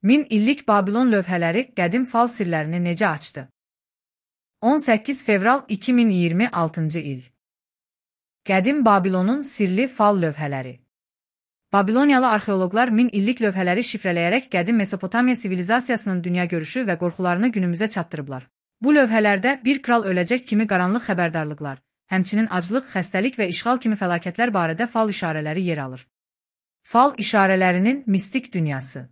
1000 illik Babilon lövhələri qədim fal sirlərini necə açdı? 18 fevral 2026-cı il. Qədim Babilonun sirli fal lövhələri. Babiloniyalı arxeoloqlar 1000 illik lövhələri şifrələyərək qədim Mesopotamiya sivilizasiyasının dünya görüşü və qorxularını günümüzə çatdırıblar. Bu lövhələrdə bir kral öləcək kimi qaranlıq xəbərdarlıqlar, həmçinin aclıq, xəstəlik və işğal kimi fəlakətlər barədə fal işarələri yer alır. Fal işarələrinin mistik dünyası.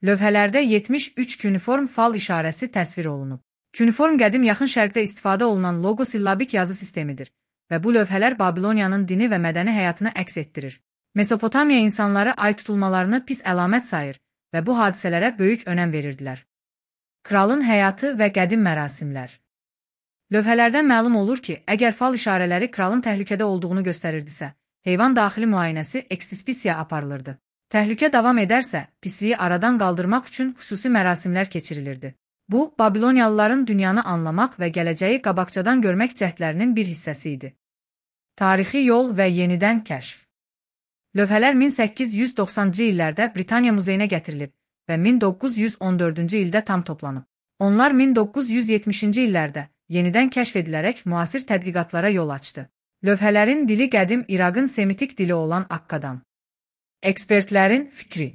Lövhələrdə 73 kuniform fal işarəsi təsvir olunub. Kuniform qədim yaxın şərqdə istifadə olunan logosillabik yazı sistemidir və bu lövhələr Babiloniyanın dini və mədəni həyatını əks etdirir. Mesopotamiya insanları ay tutulmalarını pis əlamət sayır və bu hadisələrə böyük önəm verirdilər. Kralın həyatı və qədim mərasimlər. Lövhələrdən məlum olur ki, əgər fal işarələri kralın təhlükədə olduğunu göstərirdisə, heyvan daxili müayinəsi ekstispisiya aparılırdı. Təhlükə davam edərsə, pisliyi aradan qaldırmaq üçün xüsusi mərasimlər keçirilirdi. Bu, Babiloniyalıların dünyanı anlamaq və gələcəyi qabaqcadan görmək cəhdlərinin bir hissəsi idi. Tarixi yol və yenidən kəşf. Lövhələr 1890-cı illərdə Britaniya muzeyinə gətirilib və 1914-cü ildə tam toplanıb. Onlar 1970-ci illərdə yenidən kəşf edilərək müasir tədqiqatlara yol açdı. Lövhələrin dili qədim İraqın semitik dili olan Akkadan. Ekspertlərin fikri.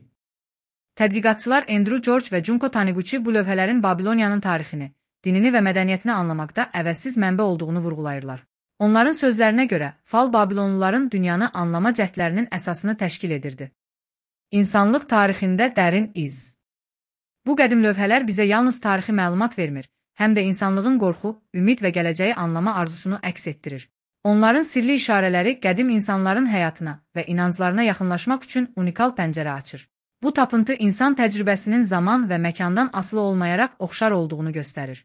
Tədqiqatçılar Andrew George və Junko Taniguchi bu lövhələrin Babiloniyanın tarixini, dinini və mədəniyyətini anlamaqda əvəzsiz mənbə olduğunu vurğulayırlar. Onların sözlərinə görə, fal Babilonluların dünyanı anlama cəhdlərinin əsasını təşkil edirdi. İnsanlıq tarixində dərin iz. Bu qədim lövhələr bizə yalnız tarixi məlumat vermir, həm də insanlığın qorxu, ümid və gələcəyi anlama arzusunu əks etdirir. Onların sirli işarələri qədim insanların həyatına və inanclarına yaxınlaşmaq üçün unikal pəncərə açır. Bu tapıntı insan təcrübəsinin zaman və məkandan asılı olmayaraq oxşar olduğunu göstərir.